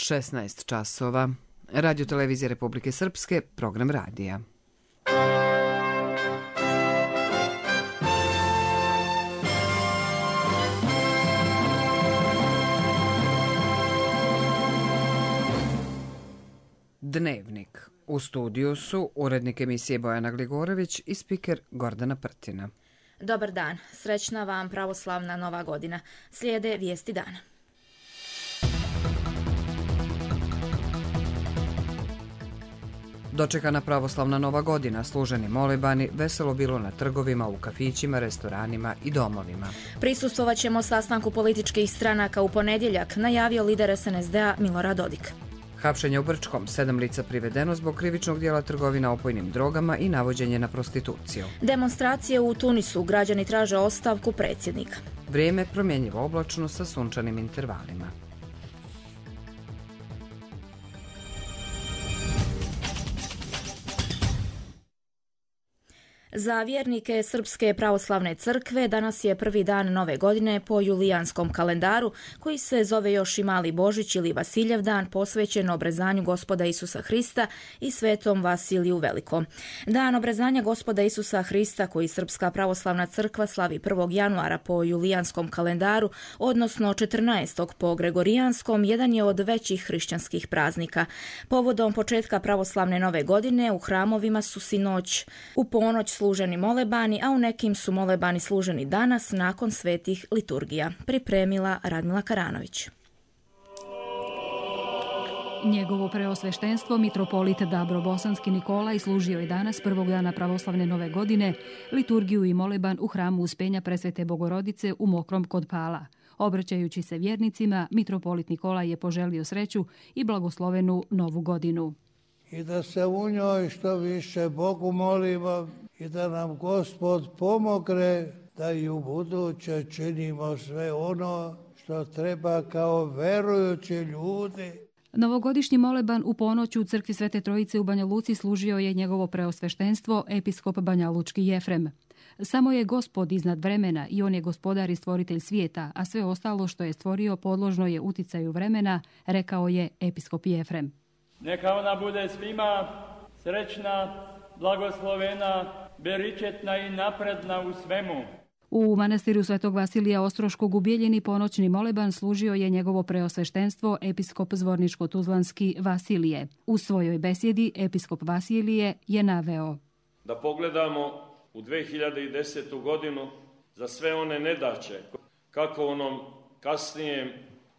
16 časova. Radio Televizije Republike Srpske, program radija. Dnevnik. U studiju su urednik emisije Bojana Gligorović i spiker Gordana Prtina. Dobar dan, srećna vam pravoslavna nova godina. Slijede vijesti dana. Dočekana pravoslavna nova godina, služeni molibani, veselo bilo na trgovima, u kafićima, restoranima i domovima. Prisustvovat ćemo sastanku političkih stranaka u ponedjeljak, najavio lider SNSD-a Milorad Dodik. Hapšenje u Brčkom, 7 lica privedeno zbog krivičnog dijela trgovina opojnim drogama i navođenje na prostituciju. Demonstracije u Tunisu, građani traže ostavku predsjednika. Vrijeme promjenjivo oblačno sa sunčanim intervalima. Za vjernike Srpske pravoslavne crkve danas je prvi dan nove godine po julijanskom kalendaru, koji se zove još i Mali Božić ili Vasiljev dan, posvećen obrezanju Gospoda Isusa Hrista i Svetom Vasiliju Velikom. Dan obrezanja Gospoda Isusa Hrista, koji Srpska pravoslavna crkva slavi 1. januara po julijanskom kalendaru, odnosno 14. po gregorijanskom, jedan je od većih hrišćanskih praznika. Povodom početka pravoslavne nove godine u hramovima su sinoć u ponoć služeni molebani, a u nekim su molebani služeni danas nakon svetih liturgija. Pripremila Radmila Karanović. Njegovo preosveštenstvo, mitropolit Dabro-Bosanski Nikolaj, služio je danas prvog dana pravoslavne nove godine liturgiju i moleban u hramu Uspenja Presvete Bogorodice u Mokrom kod Pala. Obraćajući se vjernicima, mitropolit Nikolaj je poželio sreću i blagoslovenu novu godinu. I da se u njoj što više Bogu molimo i da nam Gospod pomogne da i u buduće činimo sve ono što treba kao verujući ljudi. Novogodišnji moleban u ponoć u crkvi Svete Trojice u Banja Luci služio je njegovo preosveštenstvo episkop Banjalučki Jefrem. Samo je Gospod iznad vremena i on je gospodar i stvoritelj svijeta, a sve ostalo što je stvorio podložno je uticaju vremena, rekao je episkop Jefrem. Neka ona bude svima srećna, blagoslovena, beričetna i napredna u svemu. U manastiru Svetog Vasilija Ostroškog u Bijeljini ponoćni moleban služio je njegovo preosveštenstvo episkop Zvorničko-Tuzlanski Vasilije. U svojoj besjedi episkop Vasilije je naveo: da pogledamo u 2010. godinu za sve one nedaće, kako u onom kasnijem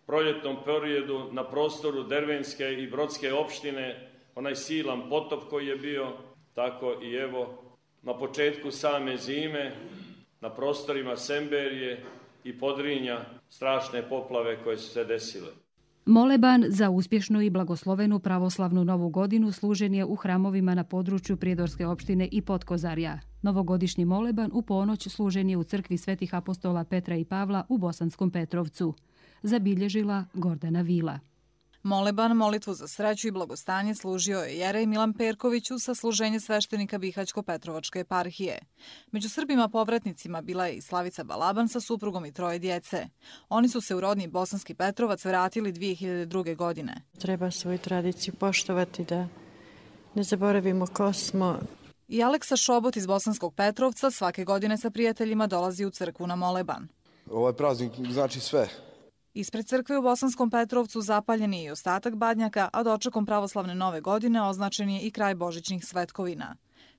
proljetnom periodu na prostoru Dervenske i Brodske opštine, onaj silan potop koji je bio, tako i evo na početku same zime, na prostorima Semberije i Podrinja, strašne poplave koje su se desile. Moleban za uspješnu i blagoslovenu pravoslavnu novu godinu služen je u hramovima na području Prijedorske opštine i Potkozarja. Novogodišnji moleban u ponoć služen je u crkvi Svetih apostola Petra i Pavla u Bosanskom Petrovcu. Zabilježila Gordana Vila. Moleban, molitvu za sreću i blagostanje, služio je jerej Milan Perković uz sasluženje sveštenika Bihaćko-Petrovačke eparhije. Među Srbima povratnicima bila je i Slavica Balaban sa suprugom i 3 djece. Oni su se u rodni Bosanski Petrovac vratili 2002. godine. Treba svoju tradiciju poštovati, da ne zaboravimo ko smo. I Aleksa Šobot iz Bosanskog Petrovca svake godine sa prijateljima dolazi u crkvu na moleban. Ovaj praznik znači sve. Ispred crkve u Bosanskom Petrovcu zapaljen je i ostatak badnjaka, a dočekom pravoslavne nove godine označen je i kraj božićnih svetkovina.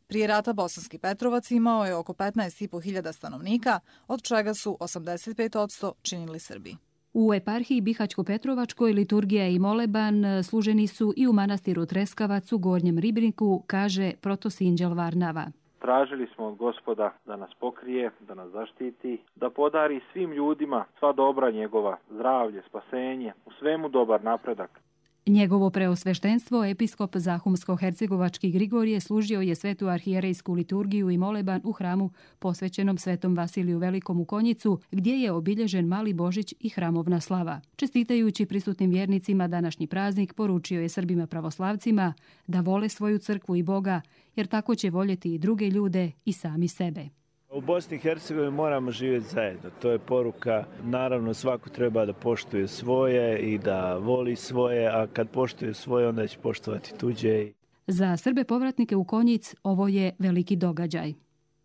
Prije rata Bosanski Petrovac imao je oko 15.500 stanovnika, od čega su 85% činili Srbi. U eparhiji Bihaćko-Petrovačkoj liturgija i moleban služeni su i u manastiru Treskavac u Gornjem Ribniku, kaže protosinđel Varnava. Tražili smo od Gospoda da nas pokrije, da nas zaštiti, da podari svim ljudima sva dobra njegova, zdravlje, spasenje, u svemu dobar napredak. Njegovo preosveštenstvo, episkop Zahumsko-Hercegovački Grigorije, služio je svetu arhijerejsku liturgiju i moleban u hramu posvećenom Svetom Vasiliju Velikom u Konjicu, gdje je obilježen Mali Božić i hramovna slava. Čestitajući prisutnim vjernicima današnji praznik, poručio je Srbima pravoslavcima da vole svoju crkvu i Boga, jer tako će voljeti i druge ljude i sami sebe. U Bosni i Hercegovini moramo živjeti zajedno. To je poruka. Naravno, svako treba da poštuje svoje i da voli svoje, a kad poštuje svoje, onda će poštovati tuđe. Za Srbe povratnike u Konjic ovo je veliki događaj.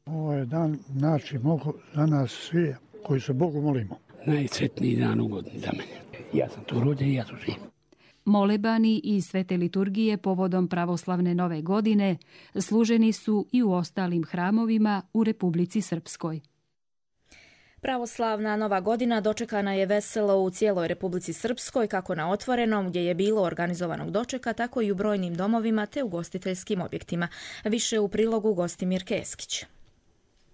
Ovo je dan, znači, za nas svi koji se Bogu molimo. Najsretniji dan u godini za mene. Ja sam tu rođen i ja tu živim. Molebani i svete liturgije povodom pravoslavne nove godine služeni su i u ostalim hramovima u Republici Srpskoj. Pravoslavna nova godina dočekana je veselo u cijeloj Republici Srpskoj, kako na otvorenom gdje je bilo organizovanog dočeka, tako i u brojnim domovima te ugostiteljskim objektima. Više u prilogu Gostimir Keskić.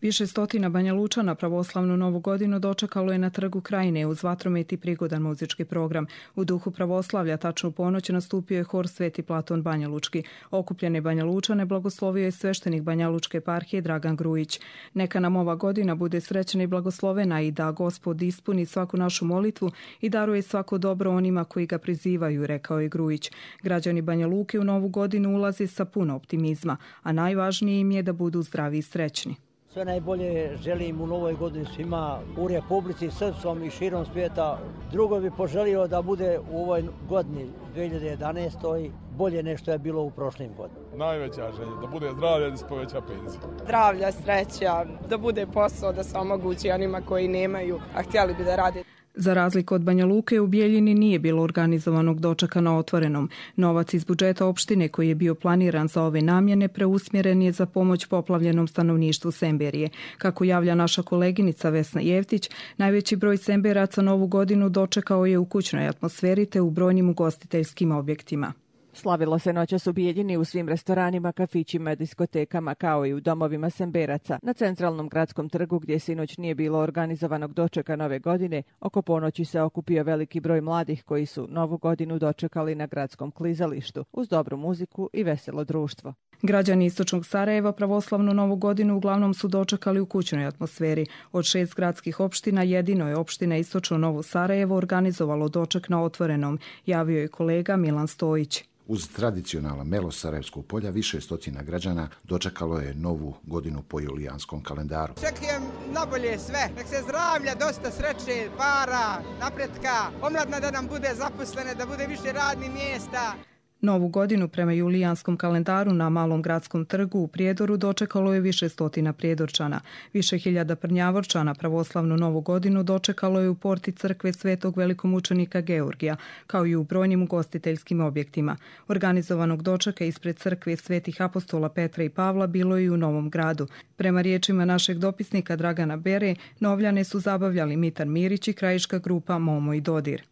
Više stotina Banja Lučana pravoslavnu novu godinu dočekalo je na Trgu Krajine uz vatromet i prigodan muzički program. U duhu pravoslavlja tačno u ponoć nastupio je hor Sveti Platon Banja Lučki. Okupljene Banja Lučane blagoslovio je sveštenik Banja Lučke eparhije Dragan Grujić. Neka nam ova godina bude srećna i blagoslovena i da Gospod ispuni svaku našu molitvu i daruje svako dobro onima koji ga prizivaju, rekao je Grujić. Građani Banja Luke u novu godinu ulaze sa puno optimizma, a najvažnije im je da budu zdravi i srećni. Sve najbolje želim u novoj godini svima u Republici Srpskom i širom svijeta. Drugo bi poželio da bude u ovoj godini 2011. bolje nego što je bilo u prošlim godinama. Najveća želja, da bude zdravlje, da se poveća penzija. Zdravlja, sreća, da bude posao, da se omogući onima koji nemaju, a htjeli bi da rade. Za razliku od Banja Luke, u Bijeljini nije bilo organizovanog dočeka na otvorenom. Novac iz budžeta opštine koji je bio planiran za ove namjene preusmjeren je za pomoć poplavljenom stanovništvu Semberije. Kako javlja naša koleginica Vesna Jevtić, najveći broj Semberaca novu godinu dočekao je u kućnoj atmosferi te u brojnim ugostiteljskim objektima. Slavilo se noćas u Bijeljini u svim restoranima, kafićima, diskotekama kao i u domovima Semberaca. Na centralnom gradskom trgu gdje sinoć nije bilo organizovanog dočeka nove godine, oko ponoći se okupio veliki broj mladih koji su novu godinu dočekali na gradskom klizalištu uz dobru muziku i veselo društvo. Građani istočnog Sarajeva pravoslavnu novu godinu uglavnom su dočekali u kućnoj atmosferi. Od 6 gradskih opština jedino je opština Istočno Novo Sarajevo organizovalo doček na otvorenom, javio je kolega Milan Stojić. Uz tradicionalan melo Sarajevskog polja više stotina građana dočekalo je novu godinu po julijanskom kalendaru. Čekujem nabolje sve, nek se zdravlja, dosta sreće, para, napretka, omladna da nam bude zaposlene, da bude više radnih mjesta. Novu godinu prema julijanskom kalendaru na Malom gradskom trgu u Prijedoru dočekalo je više stotina Prijedorčana. Više hiljada Prnjavorčana pravoslavnu novu godinu dočekalo je u porti crkve Svetog velikomučenika Georgija, kao i u brojnim ugostiteljskim objektima. Organizovanog dočeka ispred crkve Svetih apostola Petra i Pavla bilo je i u Novom Gradu. Prema riječima našeg dopisnika Dragana Bere, Novljane su zabavljali Mitar Mirić i krajiška grupa Momo i Dodir.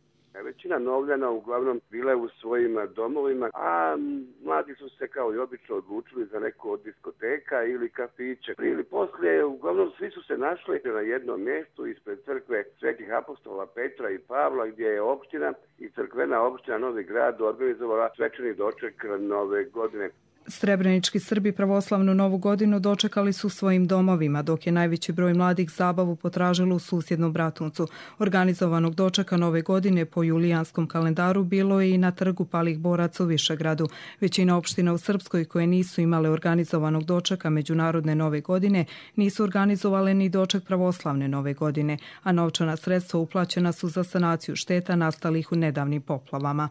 Većina Novljana uglavnom bile u svojim domovima, a mladi su se kao i obično odlučili za neku od diskoteka ili kafiće. Prije ili poslije, uglavnom svi su se našli na jednom mjestu ispred crkve Svetih apostola Petra i Pavla, gdje je opština i crkvena opština Novi Grad organizovala svečani doček nove godine. Srebrenički Srbi pravoslavnu novu godinu dočekali su svojim domovima, dok je najveći broj mladih zabavu potražilo u susjednom Bratuncu. Organizovanog dočeka nove godine po julijanskom kalendaru bilo je i na trgu Palih boraca u Višegradu. Većina opština u Srpskoj koje nisu imale organizovanog dočeka međunarodne nove godine nisu organizovale ni doček pravoslavne nove godine, a novčana sredstva uplaćena su za sanaciju šteta nastalih u nedavnim poplavama.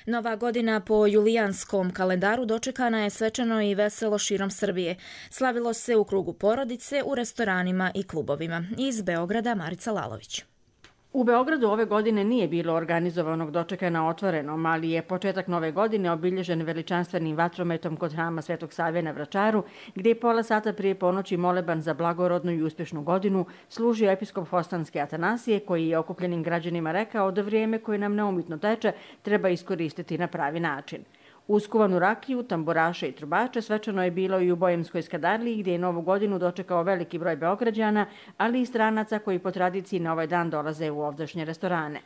Nova godina po julijanskom kalendaru dočekana je svečano i veselo širom Srbije. Slavilo se u krugu porodice, u restoranima i klubovima. Iz Beograda Marica Lalović. U Beogradu ove godine nije bilo organizovanog dočeka na otvorenom, ali je početak nove godine obilježen veličanstvenim vatrometom kod hrama Svetog Save na Vračaru, gdje je pola sata prije ponoći moleban za blagorodnu i uspješnu godinu služio episkop Fostanske Atanasije, koji je okupljenim građanima rekao da vrijeme koje nam neumitno teče treba iskoristiti na pravi način. Uskuvanu rakiju, tamburaše i trubače svečano je bilo i u Bojemskoj Skadarliji, gdje je novu godinu dočekao veliki broj Beograđana, ali i stranaca koji po tradiciji na ovaj dan dolaze u ovdašnje restorane.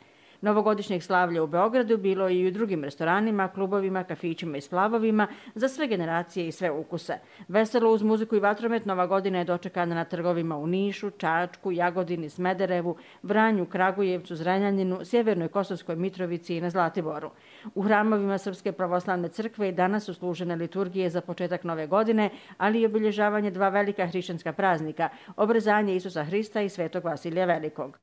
Novogodišnjeg slavlja u Beogradu bilo je i u drugim restoranima, klubovima, kafićima i splavovima za sve generacije i sve ukuse. Veselo uz muziku i vatromet Nova godina je dočekana na trgovima u Nišu, Čačku, Jagodini, Smederevu, Vranju, Kragujevcu, Zrenjaninu, Sjevernoj Kosovskoj Mitrovici i na Zlatiboru. U hramovima Srpske pravoslavne crkve i danas su služene liturgije za početak nove godine, ali i obilježavanje dva velika hrišćanska praznika, obrezanje Isusa Hrista i Svetog Vasilija Velikog.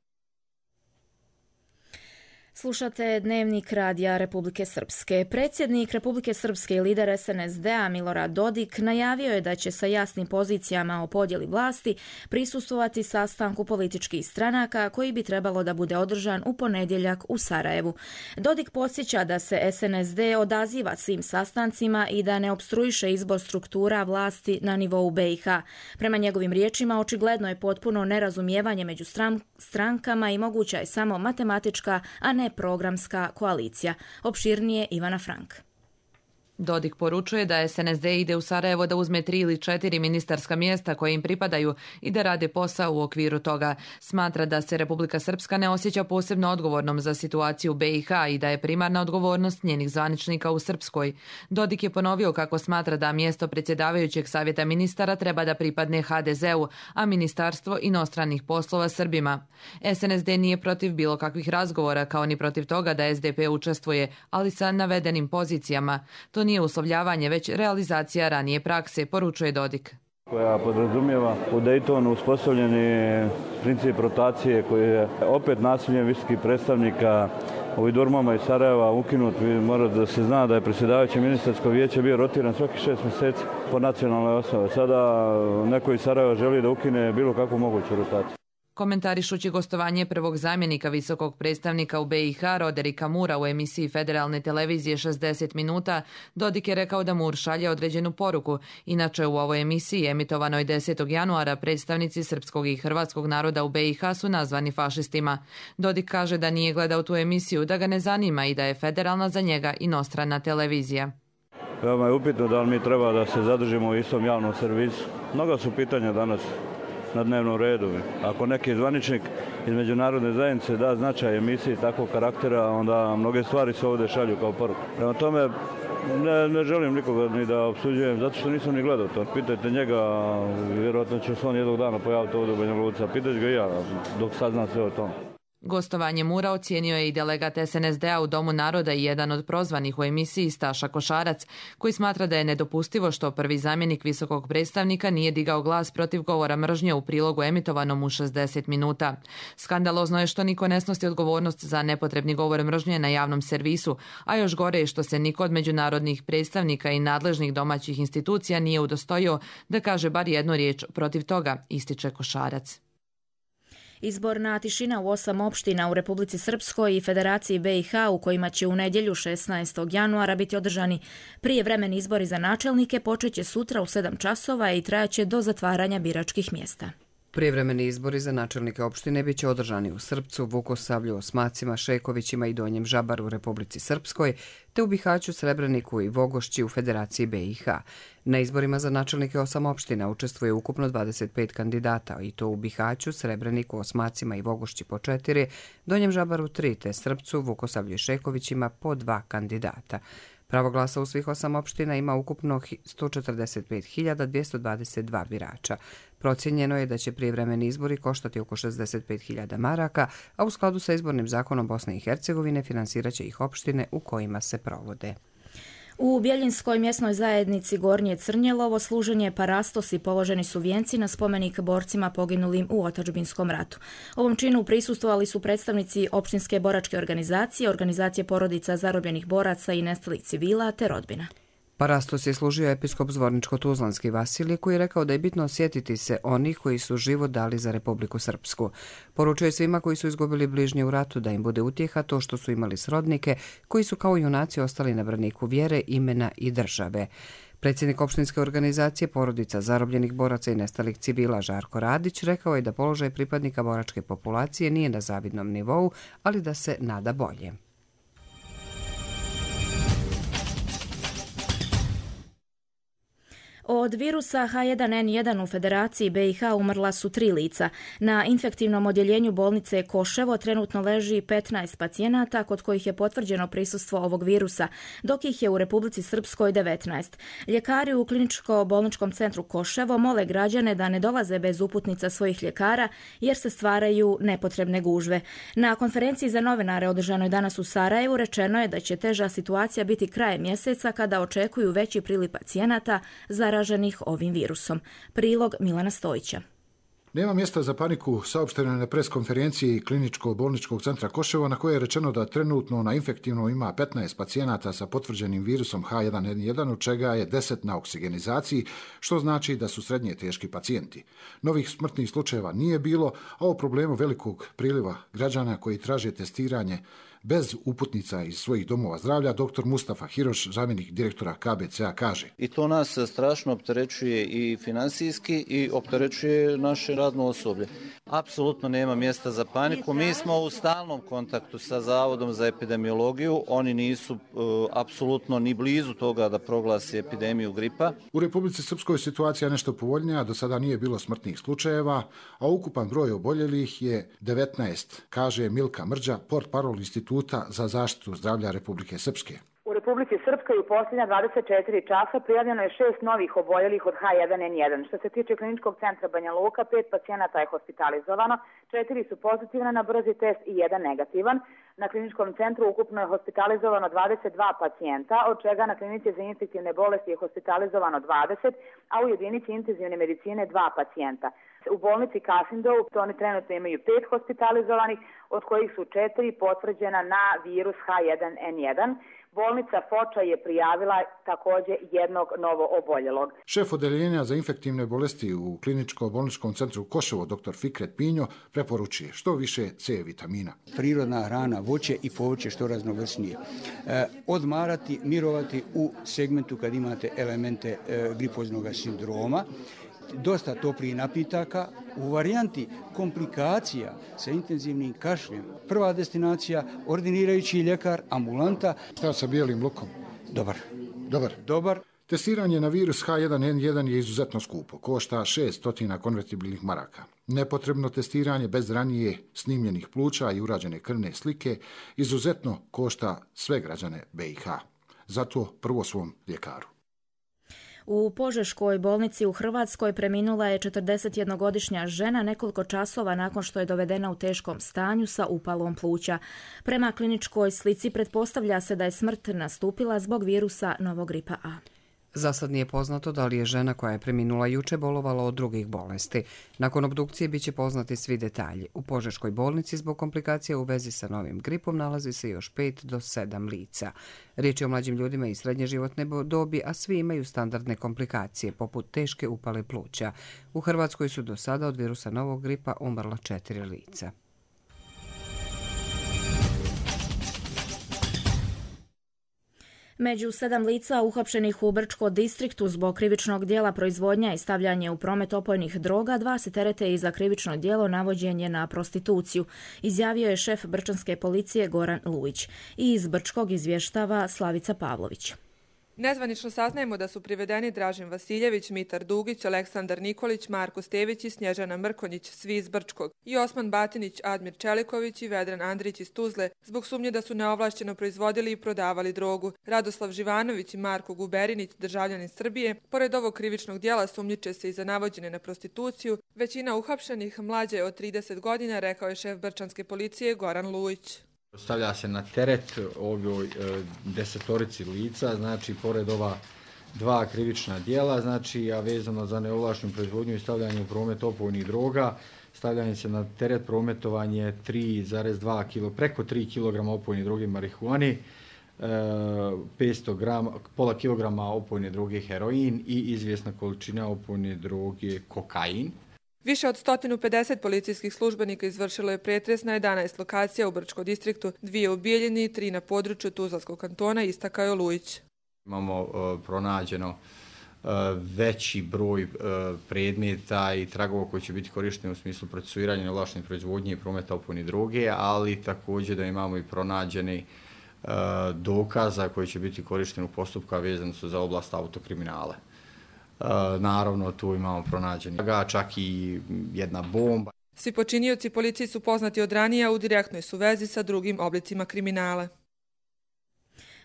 Slušate Dnevnik Radija Republike Srpske. Predsjednik Republike Srpske i lider SNSD-a Milorad Dodik najavio je da će sa jasnim pozicijama o podjeli vlasti prisustvovati sastanku političkih stranaka koji bi trebalo da bude održan u ponedjeljak u Sarajevu. Dodik podsjeća da se SNSD odaziva svim sastancima i da ne opstruiše izbor struktura vlasti na nivou BiH. Prema njegovim riječima, očigledno je potpuno nerazumijevanje među strankama i moguća je samo matematička, a ne programska koalicija. Opširnije Ivana Frank. Dodik poručuje da SNSD ide u Sarajevo da uzme 3 ili 4 ministarska mjesta koje im pripadaju i da rade posao u okviru toga. Smatra da se Republika Srpska ne osjeća posebno odgovornom za situaciju u BiH i da je primarna odgovornost njenih zvaničnika u Srpskoj. Dodik je ponovio kako smatra da mjesto predsjedavajućeg savjeta ministara treba da pripadne HDZ-u, a ministarstvo inostranih poslova Srbima. SNSD nije protiv bilo kakvih razgovora, kao ni protiv toga da SDP učestvuje, ali sa navedenim pozicijama. To nije uslovljavanje, već realizacija ranije prakse, poručuje Dodik. Koja podrazumijeva u Daytonu uspostavljeni princip rotacije koji je opet nasiljem visokih predstavnika u Idurmama iz Sarajeva ukinut. Mora da se zna da je predsjedavajuće ministarsko vijeće bio rotiran svaki 6 mjeseci po nacionalnoj osnovi. Sada neko iz Sarajeva želi da ukine bilo kakvu moguću rotaciju. Komentarišući gostovanje prvog zamjenika visokog predstavnika u BiH Roderika Mura u emisiji Federalne televizije 60 minuta, Dodik je rekao da Mur šalje određenu poruku. Inače, u ovoj emisiji, emitovanoj 10. januara, predstavnici srpskog i hrvatskog naroda u BiH su nazvani fašistima. Dodik kaže da nije gledao tu emisiju, da ga ne zanima i da je federalna za njega inostrana televizija. Veoma je upitno da li mi treba da se zadržimo u istom javnom servisu. Mnoga su pitanja danas na dnevnom redu. Ako neki zvaničnik iz međunarodne zajednice da značaj emisiji takvog karaktera, onda mnoge stvari se ovdje šalju kao poruku. Prema tome, ne želim nikoga ni da opsuđujem, zato što nisam ni gledao to. Pitajte njega, vjerojatno će se on jednog dana pojaviti ovdje u Banja Luci, a pitajte ga i ja dok saznam sve o tome. Gostovanje Mura ocijenio je i delegat SNSD-a u Domu naroda i jedan od prozvanih u emisiji Staša Košarac, koji smatra da je nedopustivo što prvi zamjenik visokog predstavnika nije digao glas protiv govora mržnje u prilogu emitovanom u 60 minuta. Skandalozno je što niko ne snosi odgovornost za nepotrebni govor mržnje na javnom servisu, a još gore je što se niko od međunarodnih predstavnika i nadležnih domaćih institucija nije udostojio da kaže bar jednu riječ protiv toga, ističe Košarac. Izborna tišina u 8 opština u Republici Srpskoj i Federaciji BiH u kojima će u nedjelju 16. januara biti održani prijevremeni izbori za načelnike počeće sutra u 7 časova i trajaće do zatvaranja biračkih mjesta. Prijevremeni izbori za načelnike opštine biće održani u Srpcu, Vukosavlju, Osmacima, Šekovićima i Donjem Žabaru u Republici Srpskoj, te u Bihaću, Srebreniku i Vogošći u Federaciji BiH. Na izborima za načelnike 8 opština učestvuje ukupno 25 kandidata, i to u Bihaću, Srebreniku, Osmacima i Vogošći po 4, Donjem Žabaru 3, te Srpcu, Vukosavlju i Šekovićima po 2 kandidata. Pravo glasa u svih 8 opština ima ukupno 145.222 birača. Procijenjeno je da će prijevremeni izbori koštati oko 65.000 maraka, a u skladu sa izbornim zakonom Bosne i Hercegovine finansirat će ih opštine u kojima se provode. U Bjeljinskoj mjesnoj zajednici Gornje Crnjelovo služen je parastos i položeni su vijenci na spomenik borcima poginulim u otadžbinskom ratu. Ovom činu prisustvovali su predstavnici opštinske boračke organizacije, organizacije porodica zarobljenih boraca i nestalih civila te rodbina. Parastos je služio episkop Zvorničko-Tuzlanski Vasilije, koji je rekao da je bitno osjetiti se onih koji su život dali za Republiku Srpsku. Poručuje svima koji su izgubili bližnje u ratu da im bude utjeha to što su imali srodnike koji su kao junaci ostali na braniku vjere, imena i države. Predsjednik opštinske organizacije porodica zarobljenih boraca i nestalih civila Žarko Radić rekao je da položaj pripadnika boračke populacije nije na zavidnom nivou, ali da se nada bolje. Od virusa H1N1 u Federaciji BiH umrla su 3 lica. Na infektivnom odjeljenju bolnice Koševo trenutno leži 15 pacijenata kod kojih je potvrđeno prisustvo ovog virusa, dok ih je u Republici Srpskoj 19. Ljekari u kliničko-bolničkom centru Koševo mole građane da ne dolaze bez uputnica svojih ljekara jer se stvaraju nepotrebne gužve. Na konferenciji za novinare održanoj danas u Sarajevu rečeno je da će teža situacija biti krajem mjeseca kada očekuju veći priliv pacijenata zaraženih ovim virusom. Prilog Milana Stojića. Nema mjesta za paniku, saopšteno je na preskonferenciji kliničko-bolničkog centra Koševo, na koje je rečeno da trenutno na infektivnom ima 15 pacijenata sa potvrđenim virusom H1N1, od čega je 10 na oksigenizaciji, što znači da su srednje teški pacijenti. Novih smrtnih slučajeva nije bilo, a o problemu velikog priliva građana koji traže testiranje bez uputnica iz svojih domova zdravlja, dr. Mustafa Hiroš, zamjenik direktora KBC-a, kaže. I to nas strašno opterećuje i finansijski i opterećuje naše radno osoblje. Apsolutno nema mjesta za paniku. Mi smo u stalnom kontaktu sa Zavodom za epidemiologiju. Oni nisu apsolutno ni blizu toga da proglasi epidemiju gripa. U Republici Srpskoj situacija je nešto povoljnija, do sada nije bilo smrtnih slučajeva, a ukupan broj oboljelih je 19, kaže Milka Mrđa, portparol Instituta za zaštitu zdravlja Republike Srpske. U Republici Srpskoj u posljednja 24 časa prijavljeno je 6 novih oboljelih od H1N1. Što se tiče kliničkog centra Banja Luka, 5 pacijenata je hospitalizovano, 4 su pozitivne na brzi test i 1 negativan. Na kliničkom centru ukupno je hospitalizovano 22 pacijenta, od čega na klinici za infektivne bolesti je hospitalizovano 20, a u jedinici intenzivne medicine 2 pacijenta. U bolnici Kasindov oni trenutno imaju 5 hospitalizovanih, od kojih su 4 potvrđena na virus H1N1. Bolnica Foča je prijavila također jednog novo oboljelog. Šef odeljenja za infektivne bolesti u kliničko-bolničkom centru Koševo, dr. Fikret Pinjo, preporučuje što više C vitamina. Prirodna hrana, voće i povrće što raznovrsnije. Odmarati, mirovati u segmentu kad imate elemente gripoznog sindroma, dosta toplih napitaka. U varijanti komplikacija sa intenzivnim kašljem, prva destinacija, ordinirajući ljekar, ambulanta. Šta sa bijelim lukom? Dobar. Testiranje na virus H1N1 je izuzetno skupo, košta 600 konvertibilnih maraka. Nepotrebno testiranje bez ranije snimljenih pluća i urađene krvne slike izuzetno košta sve građane BiH. Zato prvo svom ljekaru. U Požeškoj bolnici u Hrvatskoj preminula je 41-godišnja žena nekoliko časova nakon što je dovedena u teškom stanju sa upalom pluća. Prema kliničkoj slici pretpostavlja se da je smrt nastupila zbog virusa novog gripa A. Za sad nije poznato da li je žena koja je preminula juče bolovala od drugih bolesti. Nakon obdukcije biće poznati svi detalji. U Požeškoj bolnici zbog komplikacija u vezi sa novim gripom nalazi se još 5 do 7 lica. Riječ je o mlađim ljudima i srednje životne dobi, a svi imaju standardne komplikacije, poput teške upale pluća. U Hrvatskoj su do sada od virusa novog gripa umrla 4 lica. Među 7 lica uhapšenih u Brčko distriktu zbog krivičnog dijela proizvodnja i stavljanje u promet opojnih droga, 2 se terete i za krivično djelo navođenje na prostituciju, izjavio je šef brčanske policije Goran Lujić. I iz Brčkog izvještava Slavica Pavlović. Nezvanično saznajemo da su privedeni Dražen Vasiljević, Mitar Dugić, Aleksandar Nikolić, Marko Stević i Snježana Mrkonjić, svi iz Brčkog, i Osman Batinić, Admir Čeliković i Vedran Andrić iz Tuzle, zbog sumnje da su neovlašćeno proizvodili i prodavali drogu. Radoslav Živanović i Marko Guberinić, državljani Srbije, pored ovog krivičnog djela sumnjiče se i za navođene na prostituciju. Većina uhapšenih mlađe od 30 godina, rekao je šef brčanske policije Goran Lujić. Stavlja se na teret ovoj 10 lica, znači pored ova 2 krivična djela, znači a vezano za neovlaštenu proizvodnju i stavljanje u promet opojnih droga, stavljanje se na teret prometovanje 3,2 kg, preko 3 kg opojne droge marihuane, 500 grama, pola kilograma opojne droge heroin i izvjesna količina opojne droge kokain. Više od 150 policijskih službenika izvršilo je pretres na 11 lokacija u Brčkom distriktu, 2 u Bijeljini, 3 na području Tuzlanskog kantona, istakao je Lujić. Imamo pronađeno veći broj predmeta i tragova koji će biti korišteni u smislu procesuiranja neovlaštene proizvodnje i prometa opojne droge, ali također da imamo i pronađeni dokaza koji će biti korišteni u postupku vezano su za oblast autokriminala. naravno tu imamo pronađeni čak i jedna bomba. Svi počinioci policiji su poznati od ranije, a u direktnoj su vezi sa drugim oblicima kriminala.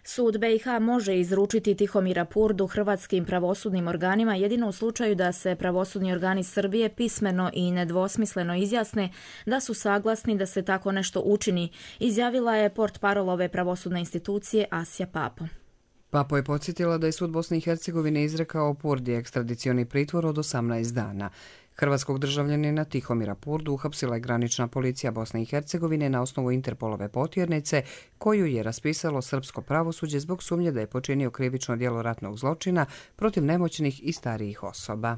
Sud BiH može izručiti Tihomira Purdu hrvatskim pravosudnim organima jedino u slučaju da se pravosudni organi Srbije pismeno i nedvosmisleno izjasne da su saglasni da se tako nešto učini, izjavila je portparol ove pravosudne institucije Asja Papo. Papo je podsjetila da je sud Bosne i Hercegovine izrekao Purdi ekstradicioni pritvor od 18 dana. Hrvatskog državljanina Tihomira Purdu uhapsila je granična policija Bosne i Hercegovine na osnovu Interpolove potjernice koju je raspisalo srpsko pravosuđe zbog sumnje da je počinio krivično djelo ratnog zločina protiv nemoćnih i starijih osoba.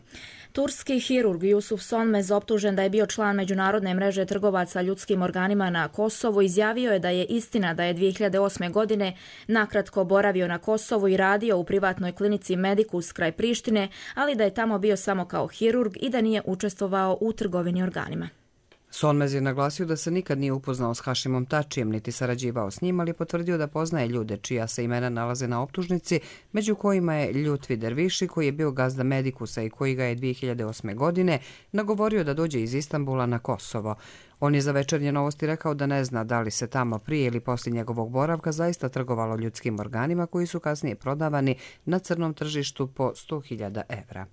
Turski hirurg Yusuf Sonmez, optužen da je bio član međunarodne mreže trgovaca ljudskim organima na Kosovu, izjavio je da je istina da je 2008. godine nakratko boravio na Kosovu i radio u privatnoj klinici Medicus kraj Prištine, ali da je tamo bio samo kao hirurg i da nije učestvovao u trgovini organima. Sonmez je naglasio da se nikad nije upoznao s Hašimom Tačijem niti sarađivao s njim, ali je potvrdio da poznaje ljude čija se imena nalaze na optužnici, među kojima je Ljutvi Derviši koji je bio gazda Medikusa i koji ga je 2008. godine nagovorio da dođe iz Istanbula na Kosovo. On je za Večernje novosti rekao da ne zna da li se tamo prije ili poslije njegovog boravka zaista trgovalo ljudskim organima koji su kasnije prodavani na crnom tržištu po 100.000 evra.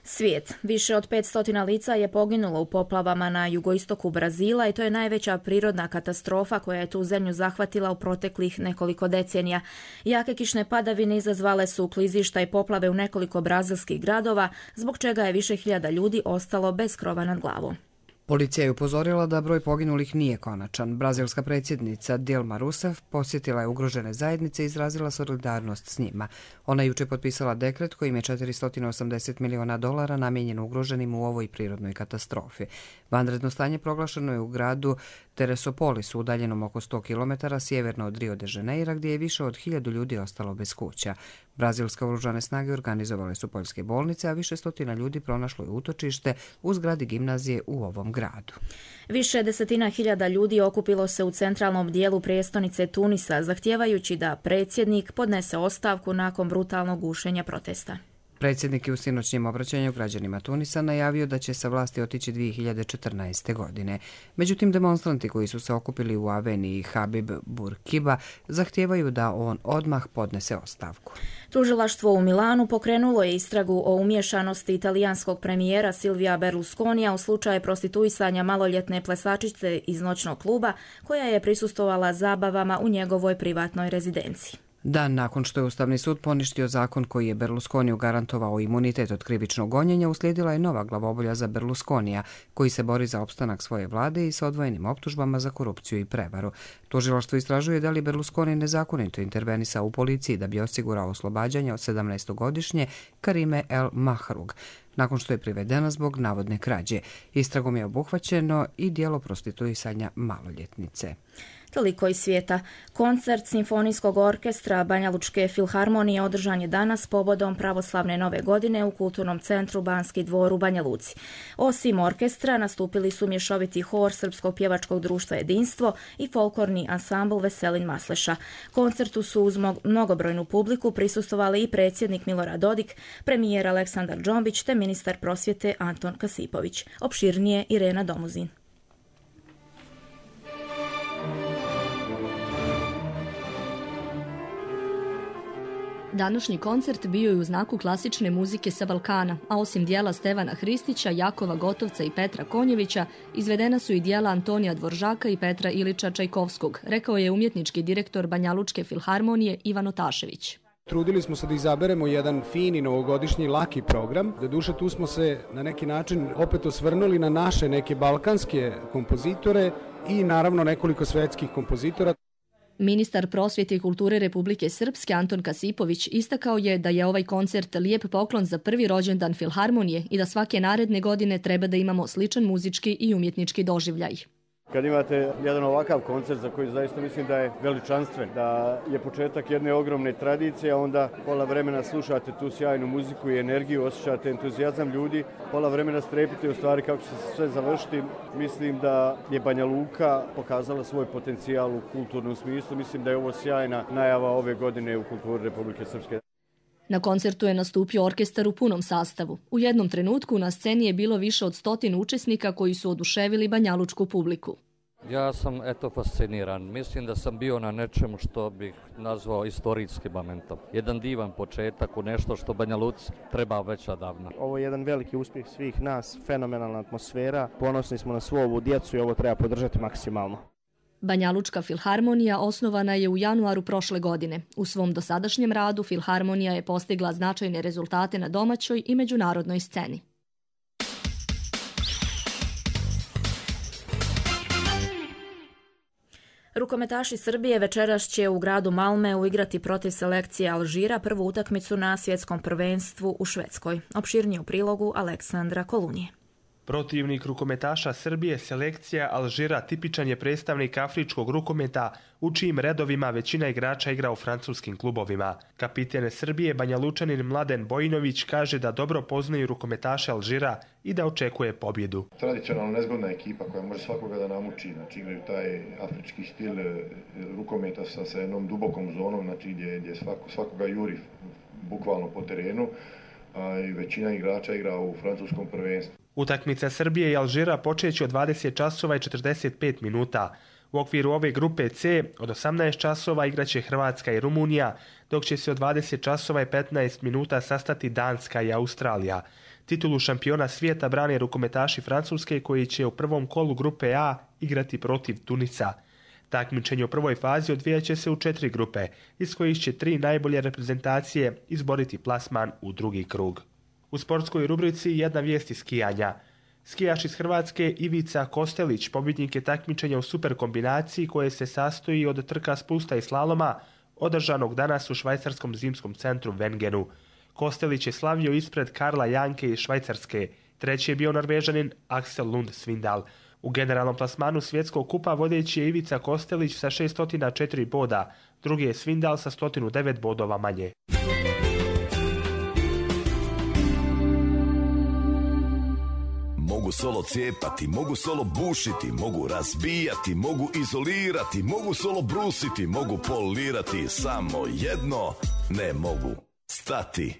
Svijet. Više od 500 lica je poginulo u poplavama na jugoistoku Brazila i to je najveća prirodna katastrofa koja je tu zemlju zahvatila u proteklih nekoliko decenija. Jake kišne padavine izazvale su klizišta i poplave u nekoliko brazilskih gradova, zbog čega je više hiljada ljudi ostalo bez krova nad glavom. Policija je upozorila da broj poginulih nije konačan. Brazilska predsjednica Dilma Rousseff posjetila je ugrožene zajednice i izrazila solidarnost s njima. Ona je juče potpisala dekret kojim je $480 miliona namijenjen ugroženim u ovoj prirodnoj katastrofi. Vanredno stanje proglašeno je u gradu Teresopolisu, udaljenom oko 100 km sjeverno od Rio de Janeira, gdje je više od 1000 ljudi ostalo bez kuća. Brazilske oružane snage organizovale su poljske bolnice, a više stotina ljudi pronašlo je utočište u zgradi gimnazije u ovom gradu. Više desetina hiljada ljudi okupilo se u centralnom dijelu prijestolnice Tunisa, zahtijevajući da predsjednik podnese ostavku nakon brutalnog gušenja protesta. Predsjednik je u sinoćnjem obraćanju građanima Tunisa najavio da će sa vlasti otići 2014. godine. Međutim, demonstranti koji su se okupili u aveniji Habib Bourguiba zahtijevaju da on odmah podnese ostavku. Tužilaštvo u Milanu pokrenulo je istragu o umješanosti italijanskog premijera Silvija Berlusconija u slučaju prostituisanja maloljetne plesačice iz noćnog kluba koja je prisustvovala zabavama u njegovoj privatnoj rezidenciji. Dan nakon što je Ustavni sud poništio zakon koji je Berlusconiju garantovao imunitet od krivičnog gonjenja, uslijedila je nova glavobolja za Berlusconija, koji se bori za opstanak svoje vlade i sa odvojenim optužbama za korupciju i prevaru. Tužilaštvo istražuje da li Berlusconi nezakonito intervenisao u policiji da bi osigurao oslobađanje od 17-godišnje Karime El Mahrug, nakon što je privedena zbog navodne krađe. Istragom je obuhvaćeno i djelo prostituisanja maloljetnice. Toliko iz svijeta. Koncert Simfonijskog orkestra Banjalučke filharmonije održan je danas povodom pravoslavne nove godine u Kulturnom centru Banski dvor u Banja Luci. Osim orkestra nastupili su mješoviti hor Srpskog pjevačkog društva Jedinstvo i folklorni ansambl Veselin Masleša. Koncertu su uz mnogobrojnu publiku prisustvovali i predsjednik Milorad Dodik, premijer Aleksandar Džombić te ministar prosvjete Anton Kasipović. Opširnije Irena Domuzin. Današnji koncert bio je u znaku klasične muzike sa Balkana, a osim dijela Stevana Hristića, Jakova Gotovca i Petra Konjevića, izvedena su i dijela Antonija Dvoržaka i Petra Ilića Čajkovskog, rekao je umjetnički direktor Banjalučke filharmonije Ivan Otašević. Trudili smo se da izaberemo jedan fini novogodišnji laki program. Doduše tu smo se na neki način opet osvrnuli na naše neke balkanske kompozitore i naravno nekoliko svetskih kompozitora. Ministar prosvjete i kulture Republike Srpske Anton Kasipović istakao je da je ovaj koncert lijep poklon za prvi rođendan filharmonije i da svake naredne godine treba da imamo sličan muzički i umjetnički doživljaj. Kad imate jedan ovakav koncert za koji zaista mislim da je veličanstven, da je početak jedne ogromne tradicije, a onda pola vremena slušate tu sjajnu muziku i energiju, osjećate entuzijazam ljudi, pola vremena strepite u stvari kako će se sve završiti. Mislim da je Banja Luka pokazala svoj potencijal u kulturnom smislu. Mislim da je ovo sjajna najava ove godine u kulturi Republike Srpske. Na koncertu je nastupio orkestar u punom sastavu. U jednom trenutku na sceni je bilo više od 100 učesnika koji su oduševili banjalučku publiku. Ja sam fasciniran. Mislim da sam bio na nečemu što bih nazvao istorijskim momentom. Jedan divan početak u nešto što Banja Luci treba već odavno. Ovo je jedan veliki uspjeh svih nas, fenomenalna atmosfera. Ponosni smo na svu ovu djecu i ovo treba podržati maksimalno. Banjalučka filharmonija osnovana je u januaru prošle godine. U svom dosadašnjem radu filharmonija je postigla značajne rezultate na domaćoj i međunarodnoj sceni. Rukometaši Srbije večeras će u gradu Malmeu igrati protiv selekcije Alžira prvu utakmicu na svjetskom prvenstvu u Švedskoj. Opširnije u prilogu Aleksandra Kolunije. Protivnik rukometaša Srbije, selekcija Alžira, tipičan je predstavnik afričkog rukometa u čijim redovima većina igrača igra u francuskim klubovima. Kapiten Srbije, Banjalučanin Mladen Bojinović, kaže da dobro poznaju rukometaše Alžira i da očekuje pobjedu. Tradicionalno nezgodna ekipa koja može svakoga da namuči, znači igraju taj afrički stil rukometa sa jednom dubokom zonom, znači gdje svakoga juri bukvalno po terenu, a i većina igrača igra u francuskom prvenstvu. Utakmica Srbije i Alžira počeće od 20 časova i 45 minuta. U okviru ove grupe C od 18 časova igraće Hrvatska i Rumunija, dok će se od 20 časova i 15 minuta sastati Danska i Australija. Titulu šampiona svijeta brane rukometaši Francuske koji će u prvom kolu grupe A igrati protiv Tunisa. Takmičenje u prvoj fazi odvijat će se u 4 grupe, iz kojih će 3 najbolje reprezentacije izboriti plasman u drugi krug. U sportskoj rubrici jedna vijest iz skijanja. Skijaš iz Hrvatske Ivica Kostelić pobjednik je takmičenja u super kombinaciji koje se sastoji od trka spusta i slaloma održanog danas u švajcarskom zimskom centru Wengenu. Kostelić je slavio ispred Karla Janke iz Švajcarske. Treći je bio Norvežanin Axel Lund Svindal. U generalnom plasmanu svjetskog kupa vodeći je Ivica Kostelić sa 604 boda, drugi je Svindal sa 109 bodova manje. Mogu solo cijepati, mogu solo bušiti, mogu razbijati, mogu izolirati, mogu solo brusiti, mogu polirati, samo jedno ne mogu stati.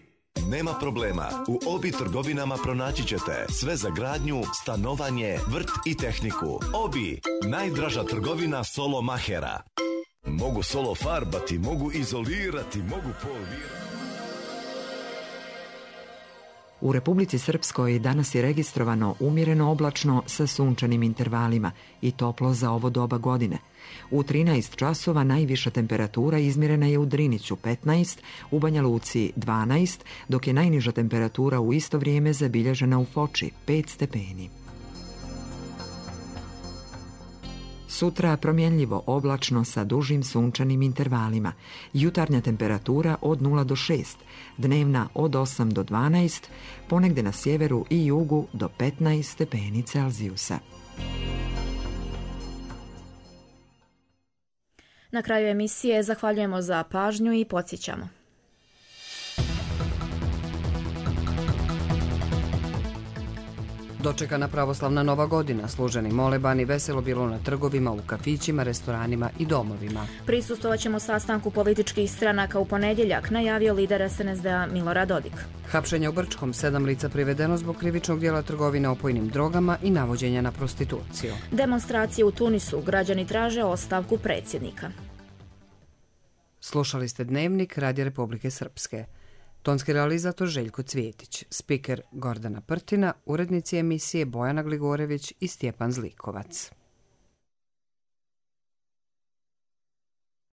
Nema problema, u Obi trgovinama pronaći ćete sve za gradnju, stanovanje, vrt i tehniku. Obi, najdraža trgovina solo mahera. Mogu solo farbati, mogu izolirati, mogu polirati. U Republici Srpskoj danas je registrovano umjereno oblačno sa sunčanim intervalima i toplo za ovo doba godine. U 13 časova najviša temperatura izmjerena je u Driniću 15, u Banja Luci 12, dok je najniža temperatura u isto vrijeme zabilježena u Foči 5 stepeni. Sutra promjenljivo oblačno sa dužim sunčanim intervalima. Jutarnja temperatura od 0 do 6, dnevna od 8 do 12, ponegde na sjeveru i jugu do 15 stepeni Celzijusa. Na kraju emisije zahvaljujemo za pažnju i podsjećamo. Dočekana pravoslavna Nova godina, služeni molebani, veselo bilo na trgovima, u kafićima, restoranima i domovima. Prisustvovat ćemo sastanku političkih stranaka u ponedjeljak, najavio lider SNSD-a Milorad Dodik. Hapšenje u Brčkom, 7 lica privedeno zbog krivičnog dijela trgovine opojnim drogama i navođenja na prostituciju. Demonstracije u Tunisu, građani traže ostavku predsjednika. Slušali ste Dnevnik Radija Republike Srpske. Tonski realizator Željko Cvjetić, spiker Gordana Prtina, urednici emisije Bojana Gligorević i Stjepan Zlikovac.